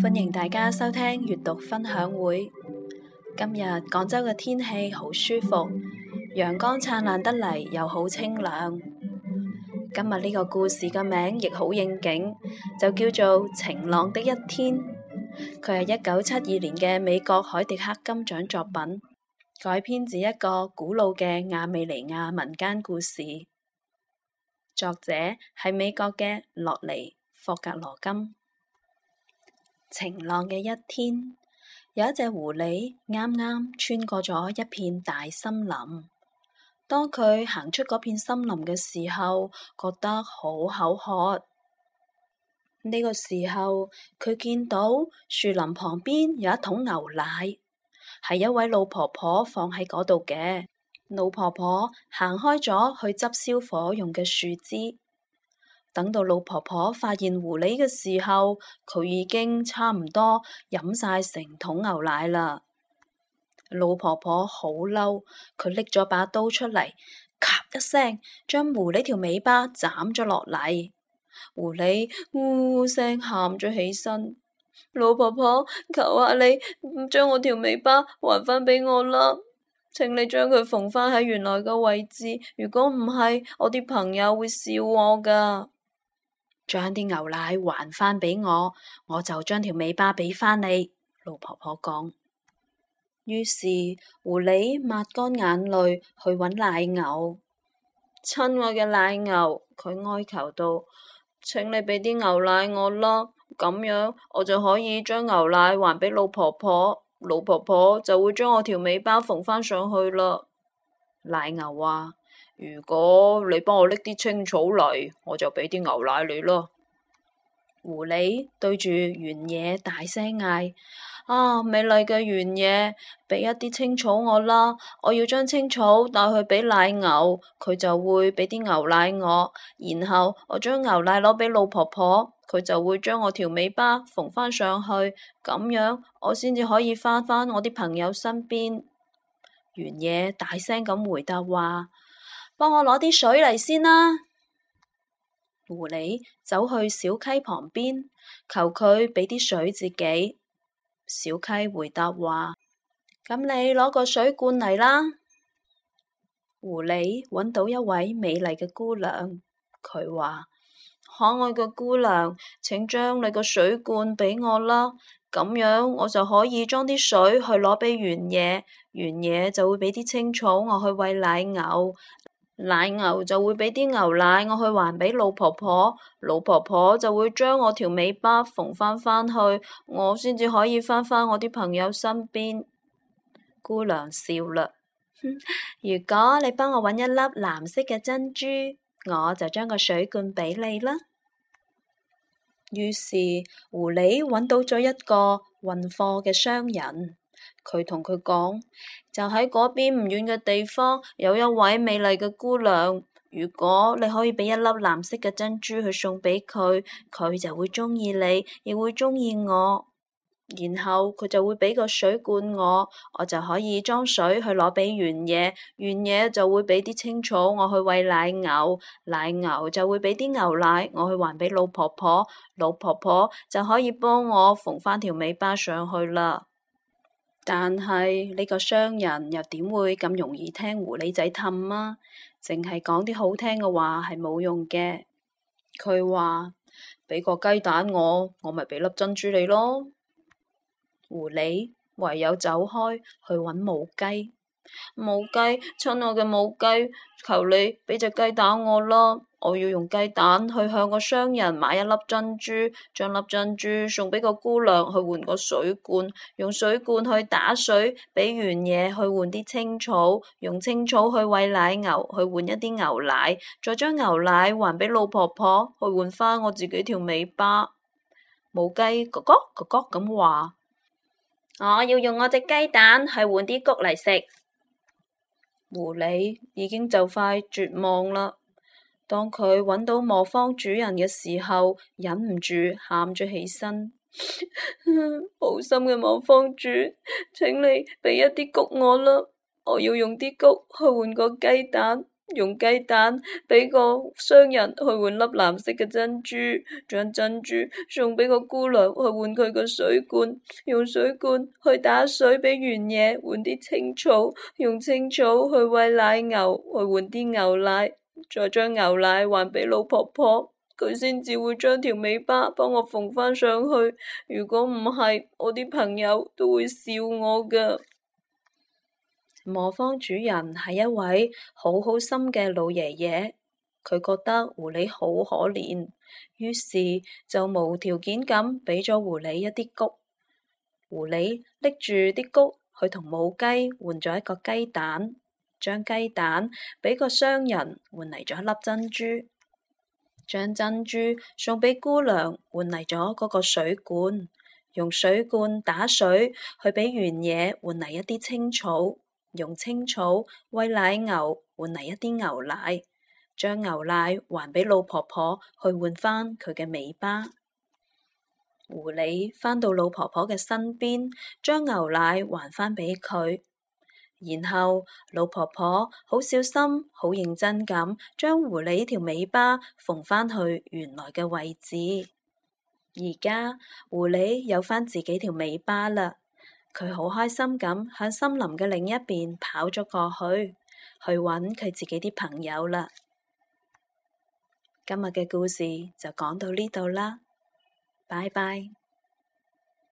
歡迎大家收聽閱讀分享會。今日廣州嘅天氣好舒服，陽光燦爛得嚟又好清涼。今日呢個故事嘅名亦好應景，就叫做《晴朗的一天》。佢係1972年嘅美國海迪克金獎作品，改編自一個古老嘅亞美尼亞民間故事。作者係美國嘅洛尼霍格羅金。晴朗嘅一天，有一隻狐狸啱啱穿過咗一片大森林。當佢行出嗰片森林嘅時候，覺得好口渴。呢個時候，佢見到樹林旁邊有一桶牛奶，係一位老婆婆放喺嗰度嘅。老婆婆行開咗去執燒火用嘅樹枝。等到老婆婆發現狐狸嘅時候，佢已經差唔多飲晒成桶牛奶啦。老婆婆好嬲，佢拎咗把刀出嚟，咔一聲將狐狸條尾巴斬咗落嚟。狐狸嗚嗚聲喊咗起身。老婆婆，求下你將我條尾巴還返俾我啦，請你將佢縫返喺原來嘅位置，如果唔係，我啲朋友會笑我噶。將啲牛奶還返俾我，我就將條尾巴俾返你。老婆婆講。於是狐狸抹乾眼淚去揾奶牛。親愛嘅奶牛，佢哀求道，請你俾啲牛奶我啦，咁樣我就可以將牛奶還俾老婆婆，老婆婆就會將我條尾巴縫返上去啦。奶牛話，如果你幫我拎啲青草嚟，我就俾啲牛奶你啦。狐狸對住原野大聲嗌，美麗嘅原野，俾一啲青草我啦，我要將青草帶去俾奶牛，佢就會俾啲牛奶我，然後我將牛奶攞俾老婆婆，佢就會將我條尾巴縫返上去，咁樣我先至可以返返我啲朋友身邊。原野大聲咁回答話，幫我攞啲水嚟先啦。狐狸走去小溪旁邊，求佢俾啲水自己。小溪回答話，咁你攞個水罐嚟啦。狐狸揾到一位美麗嘅姑娘，佢話，可愛嘅姑娘，請將你個水罐俾我啦，咁樣我就可以裝啲水去攞俾原野，原野就會俾啲青草我去餵奶牛，奶牛就會俾啲牛奶我去還俾老婆婆，老婆婆就會將我條尾巴縫返去，我先至可以返返我啲朋友身邊。姑娘笑啦，如果你幫我揾一粒藍色嘅珍珠，我就將個水罐俾你啦。於是狐狸揾到咗一個運貨嘅商人，佢同佢講，就喺嗰邊唔遠嘅地方有一位美麗嘅姑娘，如果你可以俾一粒藍色嘅珍珠去送俾佢，佢就會鍾意你，亦會鍾意我，然後佢就會俾個水罐我，我就可以裝水去攞俾原野，原野就會俾啲青草我去餵奶牛，奶牛就會俾啲牛奶我去還俾老婆婆，老婆婆就可以幫我縫返條尾巴上去啦。但係呢個商人又點會咁容易聽狐狸仔氹啊？淨係講啲好聽嘅話係冇用嘅。佢話，俾個雞蛋我咪俾粒珍珠你咯。狐狸唯有走開去揾母雞。母雞，親愛嘅母雞，求你俾隻雞蛋我啦，我要用雞蛋去向個商人買一粒珍珠，將粒珍珠送俾個姑娘去換個水罐，用水罐去打水俾原野去換啲青草，用青草去餵奶牛去換一啲牛奶，再將牛奶還俾老婆婆去換返我自己條尾巴。母雞咯咯咯咯咁話，我要用我隻雞蛋去換啲穀嚟食。狐狸已經就快絕望啦。當佢揾到磨坊主人嘅時候，忍唔住喊咗起身。好心嘅磨坊主，請你俾一啲穀我啦，我要用啲穀去換個雞蛋，用雞蛋俾個商人去換粒藍色嘅珍珠，將珍珠送俾個姑娘去換佢個水罐，用水罐去打水俾原野換啲青草，用青草去餵奶牛去換啲牛奶，再將牛奶還俾老婆婆，佢先至會將條尾巴幫我縫返上去。如果唔係，我啲朋友都會笑我㗎。磨坊主人係一位好好心嘅老爺爺，佢覺得狐狸好可憐，於是就無條件咁俾咗狐狸一啲穀。狐狸拎住啲穀去同母雞換咗一個雞蛋，將雞蛋俾個商人換嚟咗一粒珍珠，將珍珠送俾姑娘換嚟咗嗰個水罐，用水罐打水去俾原野換嚟一啲青草，用青草餵奶牛換嚟一啲牛奶，將牛奶還俾老婆婆去換返佢嘅尾巴。狐狸返到老婆婆嘅身邊，將牛奶還返俾佢，然後老婆婆好小心好認真咁將狐狸條尾巴縫返去原來嘅位置。而家狐狸有返自己條尾巴啦，佢好開心咁向森林嘅另一邊跑咗過去，去揾佢自己啲朋友啦。今日嘅故事就講到呢度啦，拜拜。